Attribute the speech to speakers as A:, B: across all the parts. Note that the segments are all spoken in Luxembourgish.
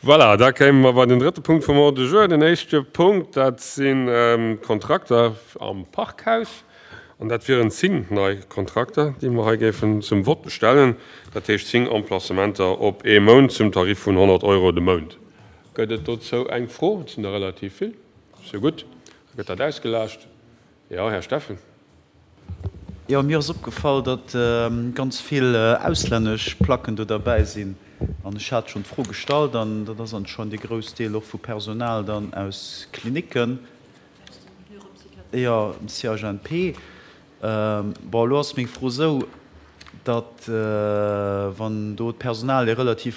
A: Voilà, da kéime mer bei den drëtte Punkt vum Ordre du jour. Den éischte Punkt, dat sinn d'Kontrakter am Parkhaus. An dat wieren 10 nei Kontrakter, déi mer hei géifen zum Vott stellen. Dat heescht 10 Emplacementer op ee Mount zum Tarif vun 100 Euro de Mount. Gëtt et dozou eng Fro? Et sinn der relativ vill. Sou gutt, da gëtt dat ausgelaascht. Jo, Här Steffen.
B: Jo, mir ass opgefall, datt ganz vill auslännesch Placken do derbäi sinn. An ech hat schonn d'Fro gestallt, an dat ass anscheinend e grouss Deel och vu Personal dann aus Klinicken, jo, CHNP. Bon, elo ass meng Fro esou, datt wann do d'Personal e relativ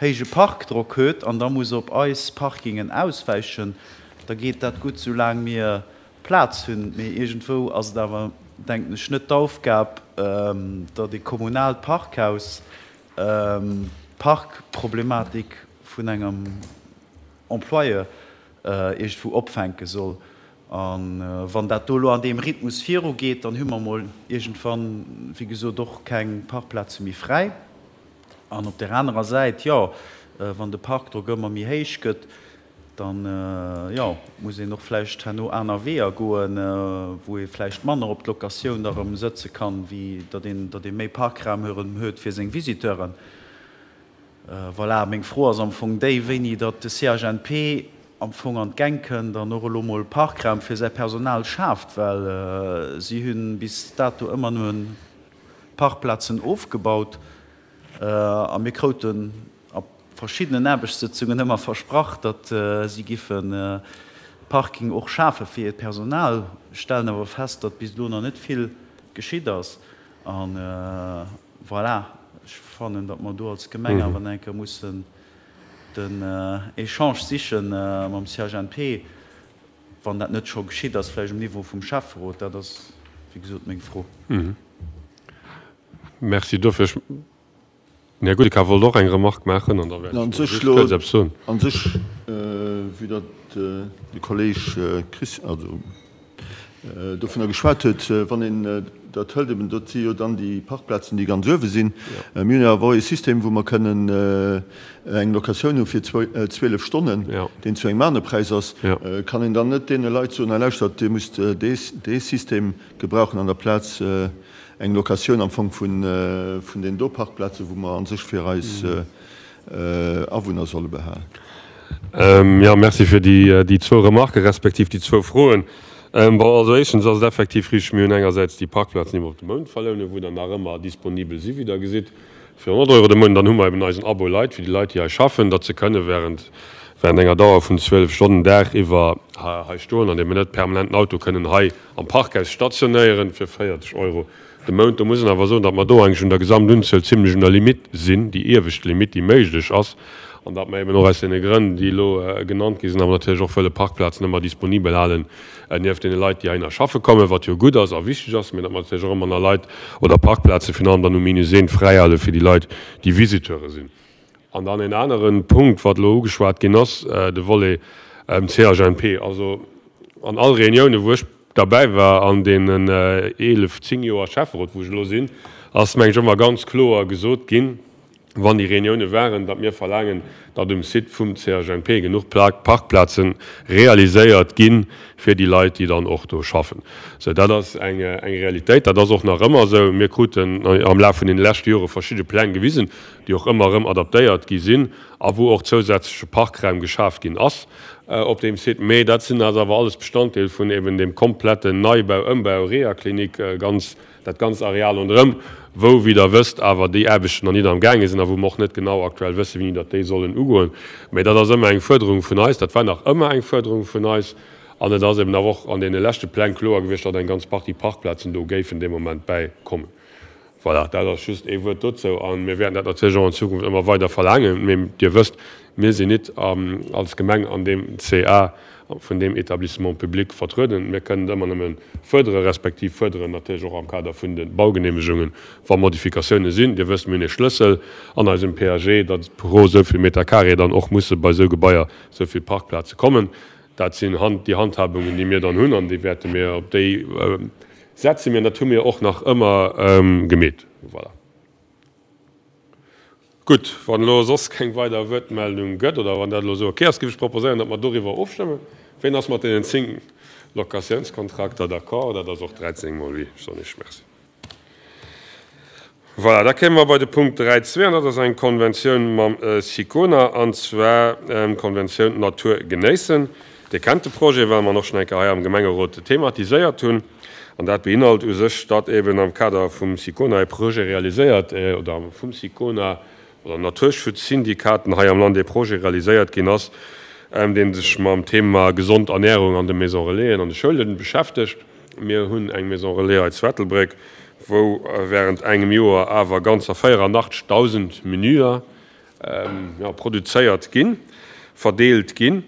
B: héije Parkdrock huet an da muss op eis Parkingen auswäichen, da geet dat gutt, soulaang mir Plaz hunn. Mee iergendwou ass et awer, denken ech, net d'Aufgab, datt ee kommunaalt Parkhaus d'Parkproblematik vun engem Employeur iergendwou opfänke soll. A wann dat do elo an deem Rhythmus virugeet, dann hu mer emol iergendwann, wéi gesot, och keng Parkplaze méi fräi. An op där anerer Säit, jo, wann de Parkdrock ëmmer méi héich gëtt, dann, jo, muss een och vläicht herno aner Weeër goen, wou ee vläicht manner op d'Locatioun da rëm sëtze kann, wéi datt een, datt ee méi Parkraum erëm huet fir seng Visiteuren. Voilà, meng Fro ass am Fong déi, wéini datt de CHNP am Fong an d'Gäng kënnt an och elo mol Parkraum fir säi Personal schaaft, well si hu bis dato ëmmer nëmme Parkplazen ofgebaut a mir krouten a verschiddenen Aarbechtssëtzungen ëmmer versprach, datt si giffe Parking och schafe fir hiert Personal. Stellen awer fest, datt bis elo nach net vill geschitt ass. A voilà, ech fannen, datt mer do als Gemeng awer nach eng Kéier mussen den Echange siche mam CHNP, wann dat net scho geschitt ass, vläicht um Niveau vum Schäfferot. Dat ass, wéi gesot, meng Fro.
A: Merci dofir. Den Här Goudeka wollt och eng Remarque maachen an da wäert ech just kuerz eppes soen.
C: An sech, vue datt de Kolleg Chris, also dovunner geschwat huet, wann een dat hëlt, eben dat si jo dann déi Parkplazen, déi ganz uewe sinn. Mir hunn jo awer och ee System, wou mer kënnen eng Locatioun hu fir 12 Stonnen, deen zu engem anere Präis ass. Kann een dann net deene Leit soen, hei lauschtert, Dir musst dee System gebrauchen an der Plaz eng Locatioun am Fong vun deenen do Parkplazen, wou mer a sech fir eis Awunner solle behalen.
A: Jo, merci fir déi zwou Remarken, respektiv déi zwou Froen. Bon, also éischtens ass et effektiv richteg, mir hunn engersäits déi Parkplazen iwwer op de Mount verlounen, wou der nach ëmmer disponibel si wéi Der gesitt, fir 100 Euro de Mount. Dann hu mer eben eisen Abo Leit, fir déi Leit, déi hei schaffen, datt se kënne während während enger Dauer vun 12 Stonnen Dag iwwer hei stoen an eben net permanent den Auto kënnen hei am Parkhaus stationéieren fir 40 Euro de Mount. Do muss een awer soen, datt mer do eigentlech un der Gesamtunzuel zimlech un der Limitt sinn, déi iewescht Limitt, déi méiglech ass, an datt mer eben och aus deene Grënn, déi elo genannt gi sinn, awer natierlech och wëlle Parkplazen ëmmer disponibel halen nieft deene Leit, déi heihinner schaffe kommen, wat jo gutt ass a wichteg ass, mä datt mer natierlech och ëmmer nach Leit oder Parkplaze virun allem dann um Minus eent fräihale fir déi Leit, déi Visiteure sinn. An dann en anere Punkt, wat elo ugeschwat ginn ass, de Volet CHNP. Also an all Reuniounen, wou ech derbäi war an deenen 11, 10 Joer Schäfferot, wou ech elo sinn, ass, meng ech, ëmmer ganz kloer gesot ginn, wann déi Reunioune waren, datt mir verlaangen, datt um Site vum CHNP genuch Parkplaze realiséiert gi fir déi Leit, déi dann och do schaffen. Sou, dat ass eng Realitéit, dat ass och nach ëmmer esou. Mir kruten am Laf vun deene leschte Jore verschidde Pläng gewisen, déi och ëmmer erëm adaptéiert gi sinn a wou och zousätzleche Parkraum geschaf ginn ass op deem Site. Mee dat sinn ass awer alles Bestanddeel vun eben deem kompletten Neibau, Ëmbau Rehaklinik, ganz, dat ganzt Areal ronderëm, wou, wéi Der wësst, awer déi Aarbechten nach nit am gaange sinn a wou mer och net genau aktuell wëssen, wéini datt déi sollen ugoen. Mee dat ass ëmmer eng Fuerderung vun eis, dat war nach ëmmer eng Fuerderung vun eis an et ass eben awer och an deene leschte Pläng kloer gewiescht, datt eng ganz Partie Parkplazen do géifen dee Moment bäikommen. Voilà, dat ass just ee Wuert dozou. A mir wäerten dat natierlech och an Zukunft ëmmer weider verlaangen. Mee Dir wësst, mir sinn nit als Gemeng an deem CA vun deem Établissement public vertrueden. Mir kënnen et ëmmer nëmme fuerdere respektiv fuerderen natierlech och am Kader vun de Baugenehmegungen, wa Modifikatiounen sinn. Dir wësst, mir hunn ee Schlëssel an eisem PAG, datt pro esou vill Meter carré dann och musse bei esou Gebaier esou vill Parkplaze kommen. Dat sinn déi Handhabungen, déi mir dann hunn an déi wäerte mir, op déi Setze mir, an dat hu mir och nach ëmmer gemeet. Voilà. Gutt, wann elo soss keng weider Wuertmeldung gëtt, oder wann dat elo esou ok ass, géif ech proposéieren, datt mer doriwwer ofstëmmen. Ween ass mat deenen 10 Locatiounskontrakter d'accord? Dat ass och 13 mol oui, soen ech. Merci. Voilà, da kéime mer bei de Punkt 3.2, an dat ass eng Konventioun mam SICONA, an zwar d'Konventioun Natur genéissen. Dir kennt de Projet, well mer en och schonn eng Kéier hei am Gemengerot thematiséiert hunn. An dat beinhalt u sech, datt eben am Kader vum SICONA e Projet realiséiert, oder vum SICONA oder Naturschutzsyndikaten hei am Land e Projet realiséiert ginn ass, dee sech mam Thema gesond Ernährung an de Maison Relaisen an de Schoule beschäftegt. Mir hunn eng Maison Relais hei zu Ettelbréck, wou während engem Joer awer ganzer 84.000 Menüer produzéiert ginn, verdeelt ginn.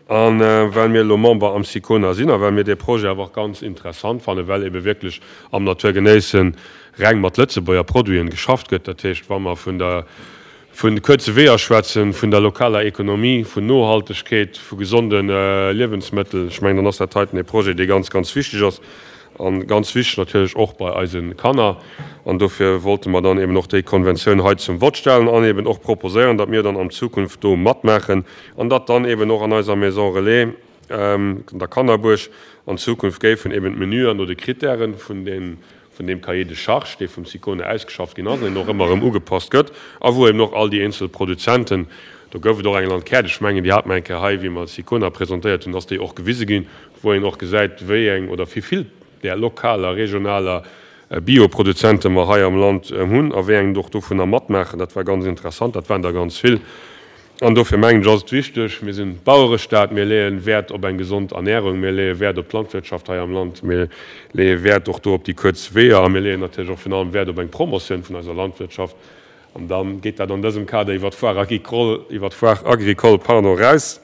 A: A well mir elo Member am SICONA sinn a well mir dee Projet awer och ganz interessant fannen, well ebe wierklech am Natur genéissen reng mat Lëtzebuerger Produiten geschafft gëtt, dat heescht, wa mer vun der Vun kuerze Weeër schwätzen, vun der lokaler Ekonomie, vun Nohaltegkeet, vu gesonde Liewensmëttel. Ech mengen, dann ass dat heiten ee Projet, dee ganz, ganz wichteg ass a ganz wichteg natierlech och bei eise Kanner. An dofir wollte mer dann eben och déi Konventioun hei zum Vott stellen an eben och proposéieren, datt mir dann an Zukunft do matmaachen an datt dann eben och an eiser Maison Relais, der Kannerbuerg, an Zukunft géifen eben d'Menüer no de Kritären vun den vun deem Cahier de charges, dee vum SICONE ausgeschafft ginn ass an deen och ëmmer erëm ugepasst gëtt a wou eben och all déi eenzel Produzenten, do gouf et och eng Landkaart, ech mengen, déi hate mer eng Kéier hei, wéi mer SICONA presentéiert hunn, ass déi och gewise ginn, wou een och gesäit, wéi eng oder wéi vill där lokaler, regionaler Bioproduzente mer hei am Land hunn a wéi eng och dovunner matmaachen. Dat war ganz interessant, dat waren der ganz vill. An dofir mengen ech, ass et wichteg, mir sinn Bauerestaat, mir leeë Wäert op eng gesond Ernährung, mir leeë Wäert op d'Landwirtschaft hei am Land, mir leeë Wäert och do op déi kuerz Weeër a mir leeën natierlech och virun allem Wäert op eng Promotioun vun eiser Landwirtschaft. An da geet dat an dësem Kader iwwer d'Foire agricole, iwwer d'Foire agricole, pardon, eraus.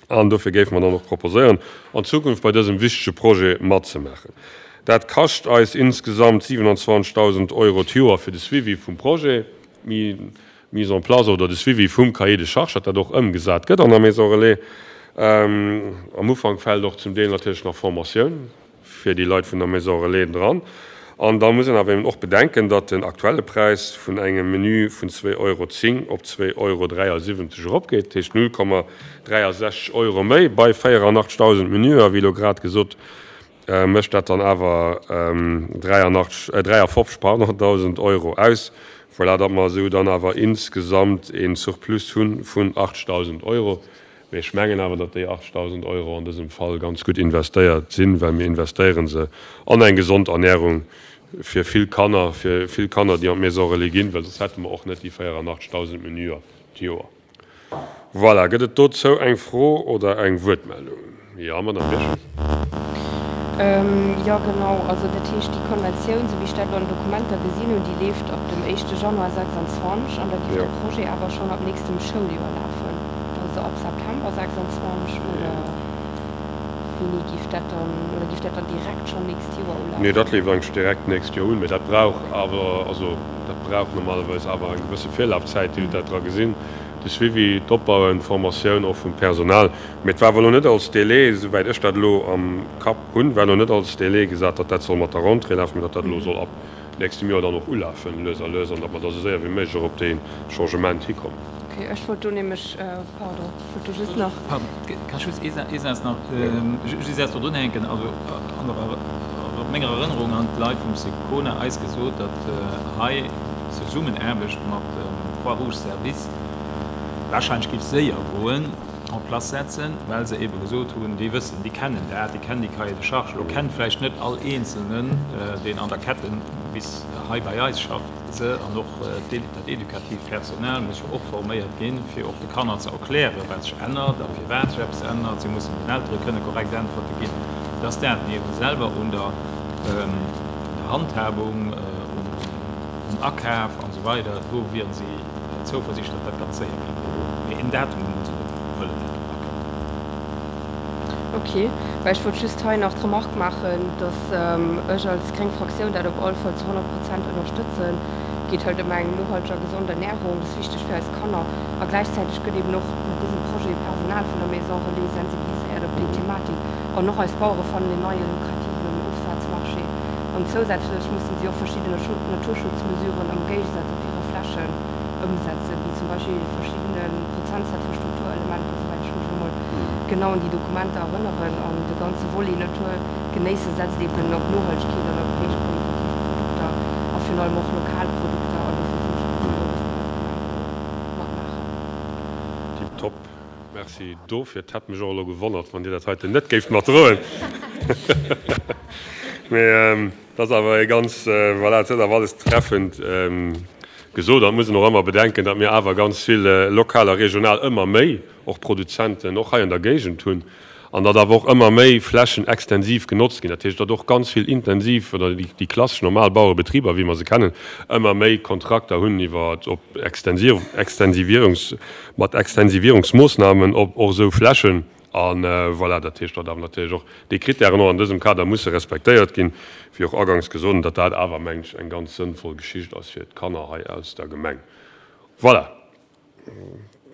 A: An dofir géife mer dann och proposéieren, an Zukunft bei dësem wichtege Projet matzemaachen. Dat kascht eis insgesamt 27.000 Euro d'Joer fir de Suivi vum Projet, d'Mise en place oder de Suivi vum Cahier de charges, datt dat och ëmgesat gëtt an der Maison Relais. Am Ufank fält och zum Deel natierlech nach Formatioun fir déi Leit vun der Maison Relais dran. An da muss een awer eben och bedenken, datt den aktuelle Präis vun engem Menü vun 2,10 Euro op 2,73 Euro eropgeet, dat heescht 0,63 Euro méi bei 84.000 Menüer, wéi elo grad gesot, mécht dat dann awer 83, 53, pardon, 1.000 Euro aus. Voilà, datt mer esou dann awer insgesamt ee Surplus hu vun 80.000 Euro. Mee ech mengen awer, datt déi 80.000 Euro an dësem Fall ganz gutt investéiert sinn, well mir investéiere se an eng gesond Ernährung fir vill Kanner, fir vill Kanner, déi an d'Maison Relais ginn, well soss hätte mer och net déi 84.000 Menüer d'Joer. Voilà, gëtt et dozou eng Fro oder eng Wuertmeldung? Jo, Madamm Birchen.
D: Jo, genau. Also dat heescht, déi Konventioun, esou wéi ech dat elo an den Dokumenter gesinn hunn, déi leeft ab dem éischte Januar 26 an da géif de Projet awer schonn ab nächstem Schouljoer lafen, also ab September 26 oder wéini géif dat dann, oder géif dat dann direkt schonn nächst Joer ulafen?
A: Nee, dat leeft eigentlech direkt d'nächst Joer un, mä dat brauch awer, also dat brauch normalerweis awer eng gewësse Virlafzäit. Dir hutt dat dra gesinn, de Suivi, d'Opbauen, d'Formatioun och vum Personal. Mee et war awer elo net als Délai, esouwäit ech dat elo am Kapp hunn, war elo net als Délai gesat, datt dat soll mat der Rentrée lafen, mee datt dat elo soll ab nächstem Joer dann och ulafen, lues a lues, an datt mer da sou séier wéi méiglech och op dee Changement hikommen.
D: Okay, ech wollt do nämlech, pardon, ech wollt do just nach.
E: Pardon, kann ech just ee Saz nach, just ee Saz do drunhänken? Also an der, menger Erënnerung han d'Leit vum SICONA eis gesot, datt hei d'Zesummenaarbecht mat dem Croix-Rouge Service wahrscheinlech géif séier goen, en place setzen, well se eebe gesot hunn, déi wëssen, déi kennen dat, déi kennen déi Cahiers de charges. Elo kennt vläicht net all Eenzelnen, deen an der Ketten bis hei bei eis schafft, se. An och dat edukatiivt Personal muss jo och forméiert ginn, fir och de Kanner ze erklären, wat sech ännert a firwat sech eppes ännert. Si mussen den Eltere kënne korrekt Äntwerte ginn. Et ass dat. Mee eebe selwer un der Handhabung, um Akaf an esou weider, do wiere si Zouversiicht, datt dat ganz séier geet. Mee en Datum hunn se net wëllen packen.
D: Ok, well ech wollt just hei nach d'Remark maachen, datt ech als gréng Fraktioun dat op all Fall zu 100 Prozent ënnerstëtzen. Et geet halt ëm eng nohalteg a gesond Ernärung, dat ass wichteg fir eis Kanner. A gläichzäiteg gëtt eben och mat dësem Projet Personal vun der Maison Relais sensibiliséiert op déi Thematik. An och eis Bauere fannen en neie lukrativen Ofsazmarché. An zousätzlech mussen si och verschidden Naturschutzmesuren am Géigesaz op hire Flächen. Ëmsetzen, wéi zum Beispill verschiddene Prozentsätz vu Strukturelementer, souwäit ech mech elo mol genau un déi Dokumenter erënneren. An de ganze Volet Natur genéisse setzt eben op Nohaltegkeet an op héich qualitativ Produkter a virun allem och lokal Produkter. An dofir sinn ech ganz frou, dass mir als Gemeng do matmaachen.
A: Tiptop, merci dofir. Et hätt mech och elo gewonnert, wann Dir dat heiten net géift matdroen. Mee Et ass awer e ganz, voilà, et huet awer alles treffend gesot. An et muss een och ëmmer bedenken, datt mir awer ganz vill lokal a regional ëmmer méi och Produzenten och hei an der Géigend hunn an datt awer och ëmmer méi Flächen extensiv genotzt ginn. Dat heescht, datt och ganz vill intensiv oder déi klassesch normal Bauerebetriber, wéi mer se kennen, ëmmer méi Kontrakter hunn iwwer op Extensivierungs, mat Extensivierungsmoossnamen op och esou Flächen. A voilà, dat heescht, datt awer natierlech och déi Krittären och an dësem Kader musse respektéiert ginn, wéi och aganks gesot, an datt dat awer, mengen ech, eng ganz sënnvoll Geschicht ass fir d'Kanner hei aus der Gemeng. Voilà,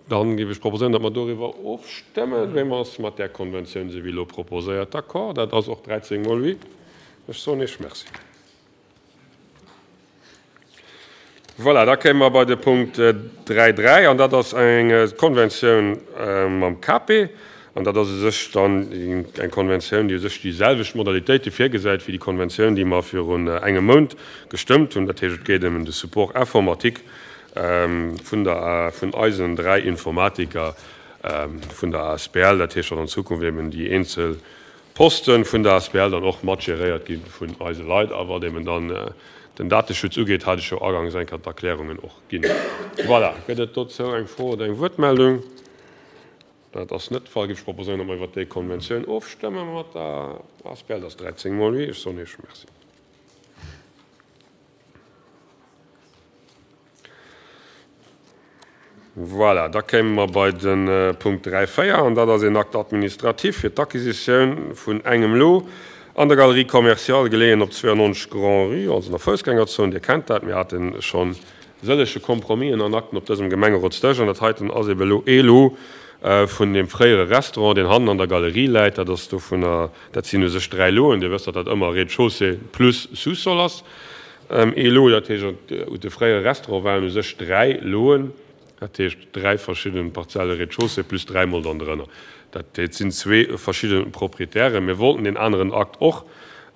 A: dann géif ech proposéieren, datt mer doriwwer ofstëmmen. Wéi ass mat där Konventioun, esou wéi elo proposéiert, d'accord? Dat ass och 13 mol oui. Ech soen Iech Merci. Voilà, da kéime mer bei de Punkt 3.3, an dat ass eng Konventioun mam KAPE. An dat ass u sech dann eng Konventioun, déi u sech déi selwecht Modalitéite virgesäit wéi déi Konventioun, déi mer virun engem Mount gestëmmt hunn. Dat heescht, et geet ëm de Support informatique vun der, vun eisen dräi Informatiker vun der asbl. Dat heescht, datt an Zukunft eben déi eenzel Posten vun der asbl dann och mat geréiert gi vun eise Leit. A wat eben dann den Dateschutz ugeet, hat ech jo agangs eng Kéier d'Erklärungen och ginn. Voilà, gëtt et dozou eng Fro oder eng Wuertmeldung? Dat ass net de Fall. Géif ech proposéieren, datt mer iwwert déi Konventioun ofstëmme mat der asbl. Dat ass 13 mol oui. Ech soen Iech Merci. Voilà, da kéime mer bei de Punkt 3, 4, an dat ass een Acte administratif fir d'Acquisitioun vun engem Lot an der Galerie commerciale, geleeën op 92 Grand-Rue, also an der Foussgängerzon. Dir kennt dat, mir hate scho sëllege Compromisen an Akten op dësem Gemengerotsdësch, an dat heiten ass ebe elo ee Lot vun deem fréiere Restaurant, deen hannen an der Galerie läit. Dat ass dovunner, dat sinn u sech dräi Loten. Dir wësst, datt dat ëmmer Rez-de-chaussée plus Sous-sol ass. Ee Lot, dat heescht, u de fréiere Restaurant waren u sech dräi Loen, dat heescht dräi verschidde Parzelle Rez-de-chaussée plus dräimol dann drënner. Dat heescht, et sinn zwee verschidde Proprietären. Mir wollten deen aneren Akt och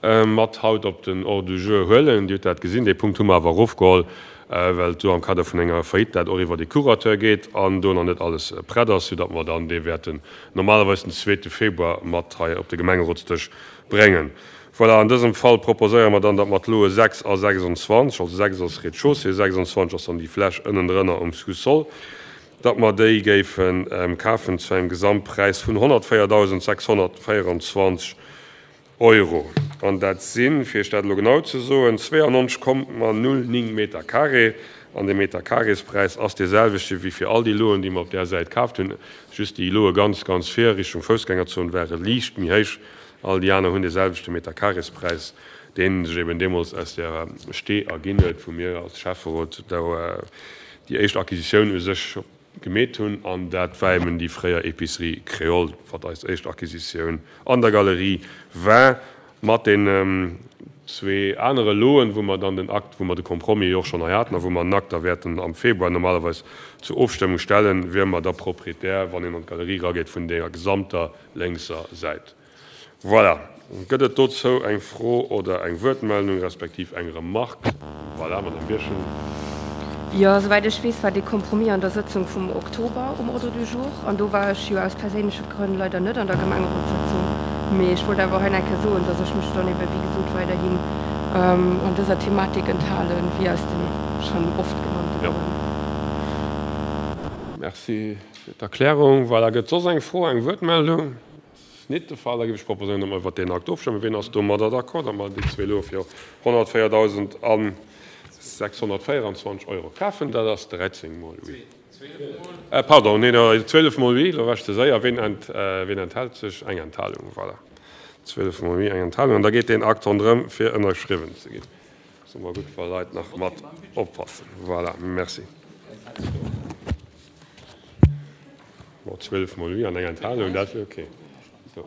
A: mat haut op den Ordre du jour huelen. Dir hutt dat gesinn, dee Punkt hu mer awer erofgeholl, well et do am Kader vun enger Faillite dat och iwwer de Curateur geet an do nach net alles prett ass, soudatt mer dann dee wäerten normalerweis den zweete Februar mat hei op de Gemengerotsdësch bréngen. Voilà, an dësem Fall proposéiere mer dann, datt mer d'Loe 6 a 26, also 6 ass Rez-de-chaussée, 26 ass dann déi Fläch ënnendrënner um Sous-sol, datt mer déi géife kafen zu engem Gesamtpräis vun 104.624 Euro. An dat sinn, fir Iech dat elo genau ze soen, 92,09 Meter carré. An de Meter-carréspräis ass dee selwechte wéi fir all déi Loen, déi mer op där Säit kaaft hunn, just déi Loe ganz, ganz vir Richtung Foussgängerzon ware liicht méi héich. All déi aner hunn dee selwechte Meterkarespräis, dee sech eben deemools aus där Stee erginn huet, wou mir als Schäfferot do déi éischt Acquisitioun u sech gemeet hunn. An dat war eben déi fréier Épicerie Créole, wat eis éischt Acquisitioun an der Galerie war, mat deenen zwee anere Loen, wou mer dann den Akt, wou mer de Compromis jo och schonn hei haten a wou mer den Akt da wäerten am Februar normalerweis zur Ofstëmmung stellen, wiere mer da Proprietär, wann een an d'Galerie erageet, vun deeër gesamter lénkser Säit. Voilà. Gëtt et dozou eng Fro oder eng Wuertmeldung respektiv eng Remarque? Voilà, Madame Birchen.
D: Jo, souwäit ech weess, war dee Compromis an der Sëtzung vum Oktober um Ordre du jour. An do war ech jo aus perséinleche Grënn leider net an der Gemengerotssëtzung. Mee ech wollt awer hei nach eng Kéier soen, dass ech mech dann ebe wéi gesot weiderhin an dëser Thematik enthalen, wéi aus de schonn oft genannte Grënn.
A: Merci. Fir d'Erklärung. Voilà, gëtt soss eng Fro, eng Wuertmeldung? Dat ass nit de Fall. Da géif ech proposéieren, datt mer iwwert deen Akt ofstëmmen. Wien ass domadder d'accord, datt mer déi zwee elo fir 104.624 Euro kafen? Dat ass 13 mol oui. Pardon, neen, 12 mol oui, elo war ech ze séier. Wien enthält sech? Eng Enthalung, voilà. 12 mol oui, eng Enthalung. An da geet deen Akt ronderëm, fir ënnerschriwwen ze ginn. Ass ëmmer gutt, wa Leit nach mat oppassen. Voilà, merci. Bon, 12 mol oui an eng Enthalung, dat ass ok. So.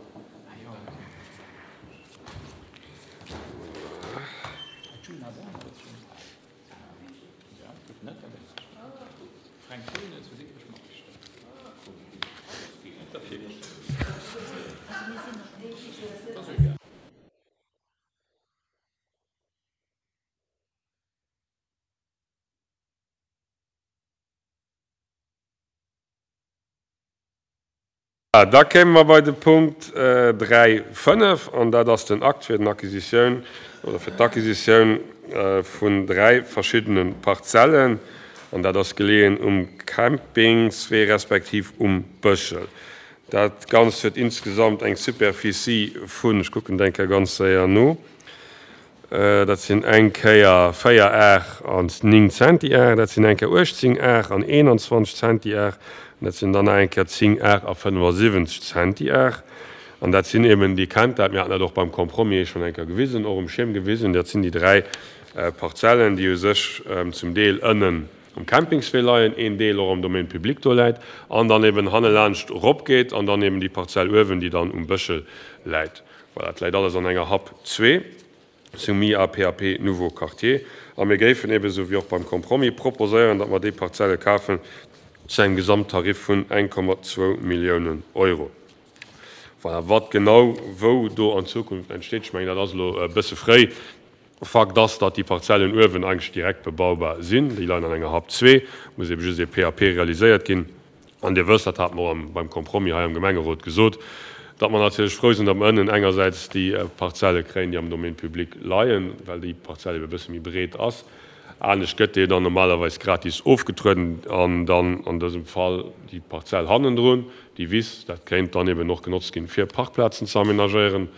A: Da kéime mer bei de Punkt 3, 5, an dat ass den Akt fir den Acquisitioun oder fir d'Acquisitioun vun dräi verschiddene Parzellen, an dat ass geleeën um Campingswee respektiv um Bëschel. Dat Ganzt huet insgesamt eng Superficie vun, ech kucken et eng Kéier ganz séier no, Dat sinn eng Kéier 4 Ar an 9 Zentiar, dat sinn eng Kéier 18 Ar an 21 Zentiar an dat sinn dann nach eng Kéier 10 Ar a 75 Zentiar. An dat sinn eben, Dir kennt dat, mir haten dat och beim Compromis schonn eng Kéier gewisen, och um Schierm gewisen, dat sinn déi dräi Parzellen, déi u sech zum Deel ënnen um Campingswee leien, een Deel och am Domaine public do läit an dann eben hannelaanscht eropgeet an dann eben déi Parzell uewen, déi dann um Bëschel läit. Voilà, et läit alles an enger Hap zwee, soumis à PAP nouveau quartier. A mir géifen eben, esou wéi och beim Compromis, proposéieren, datt mer déi Parzelle kafen zu engem Gesamttarif vun 1,2 Milliounen Euro. Voilà, wat genau wou do an Zukunft entsteet, ech mengen, dat ass elo e bësse fréi. Fakt ass, datt déi Parzellen uewen eigentlech direkt bebaubar sinn. Déi leien an enger Hap zwee, muss eben just ee PAP realiséiert ginn. An Dir wësst, dat hate mer och beim Compromis hei am Gemengerot gesot, datt mer natierlech frou sinn, datt mer ënnen engersäits déi Parzelle kréien, déi am Domaine public leien, well déi Parzell ebe e bësse méi breet ass. Anescht gëtt déi dann normalerweis gratis ofgetrueden. An dann an dësem Fall déi Parzell hannendrun, déi Wiss, dat kéint dann eben och genotzt ginn, fir Parkplazen ze amenagéieren,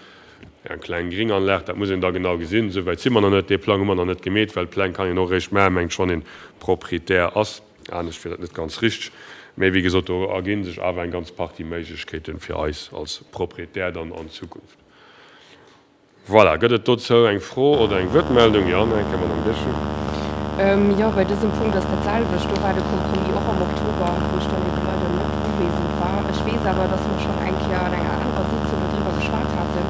A: eng kleng Gringanlag. Dat muss een da genau gesinn. Esou wäit si mer nach net. Dee Plang hu mer nach net gemeet, well Pläng kann een och eréischt maachen, mengt ech, wann ee Proprietär ass. Anescht wier dat net ganz richteg. Mee wéi gesot, do erginn sech awer eng ganz Partie Méiglechkeete fir eis als Proprietär dann an Zukunft. Voilà, gëtt et dozou eng Fro oder eng Wuertmeldung? Jo, eng Kéier, Madame Birchen.
D: Jo, bei dësem Punkt ass dat selwecht. Do war de Compromis och am Oktober, wou ech dann ebe leider net uwesend war. Ech weess awer, dass mer schonn eng Kéier an enger anerer Sitzung dodriwwer geschwat haten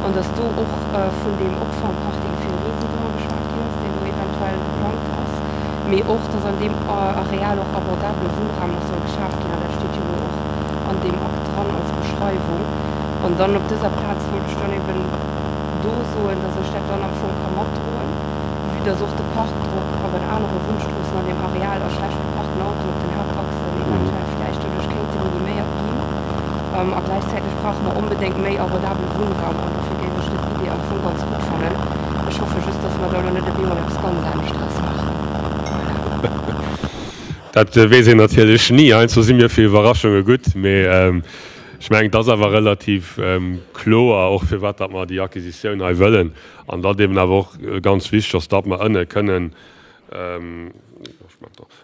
D: an dass do och vun deem Opfangparking fir Reesender geschwat ginn ass, deen do eventuell geplangt ass. Mee och, dass an deem Areal och abordabele Wunnraum nach soll geschaf ginn, an dat steet jo elo och an deem Akt dran als Beschreiwung. An dann op dëser Plaz wollt ech dann eben do soen, dass ech dat dann am Fong ka matdroen, vue dass och de Parkdrock op an anere Wunnstroossen an deem Areal a schlecht geparkten Autoen op den Haaptachsen eventuell vläicht doduerch kéinte miniméiert ginn. A gläichzäiteg brauche mer onbedéngt méi abordabele Wunnraum an dofir géif ech dës Idee am Fong ganz gutt fannen. Ech hoffe just, dass mer da elo net op eemol eppes ganz anescht draus maachen. Voilà.
A: Dat weess een natierlech ni. Heiansdo si mir fir Iwwerraschunge gutt. Mee ech mengen, et ass awer relativ kloer och, firwat datt mer déi Acquisitioun hei wëllen. An datt eeben awer och ganz wichteg ass, datt mer ënne kënnen,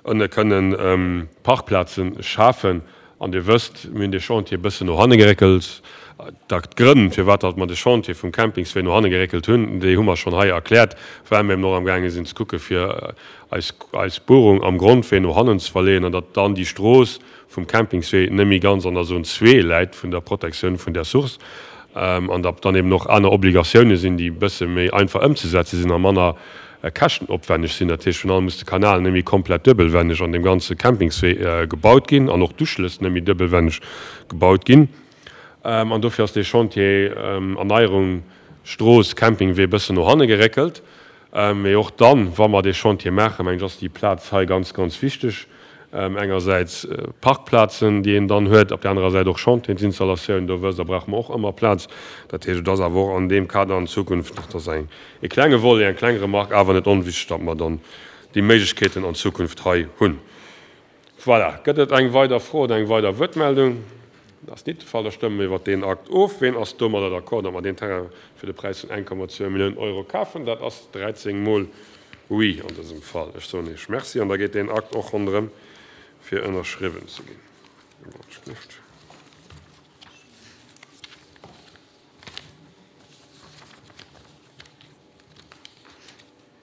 A: ënne kënnen Parkplaze schafen. An Dir wësst, mir hunn dee Chantier e bëssen no hanne geréckelt. D'Grënn, firwat datt mer de Chantier vum Campingswee no hanne geréckelt hunn, déi hu mer schonn hei erkläert, well mir eben och amgaange sinn ze kucke fir eis eis Buerung am Grondwee no hannen ze verleeën an datt dann déi Strooss vum Campingswee net méi ganz an der Zone zwee läit vun der Protektioun vun där Source an datt dann eben och aner Obligatioune sinn, déi e bësse méi einfach ëmzesetze sinn a manner käschtenopwenneg sinn. Dat heescht, virun allem muss de Kanal net méi komplett duebelwenneg an deem ganze Campingswee gebaut ginn an och d'Uschlëss net méi duebelwenneg gebaut ginn. An dofir ass dee Chantier Erneierung Strooss, Campingwee e bëssen no hanne geréckelt. Mee och dann, wa mer dee Chantier maachen, mengen ech, ass déi Plaz hei ganz, ganz wichteg. Engersäits Parkplazen, déi een dann huet, op där anerer Säit och Chantiersinstallatioun. Do wësst Der, brauche mer och ëmmer Plaz. Dat heescht, et ass awer och an deem Kader an Zukunft, dat ass eng, e klenge Volet, eng kleng Remarque, awer net onwichtig, datt mer dann déi Méiglechkeeten an Zukunft hei hunn. Voilà. Gëtt et eng weider Fro oder eng weider Wuertmeldung? Dat ass nit de Fall. Da stëmme mer iwwert deen Akt of. Ween ass domadder d'accord, datt mer deen Terrain fir de Präis vun 1,2 Milliounen Euro kafen? Dat ass 13 Mol Oui an dësem Fall. Ech soen Iech Merci an da geet deen Akt och ronderëm fir ënnerschriwwen ze ginn.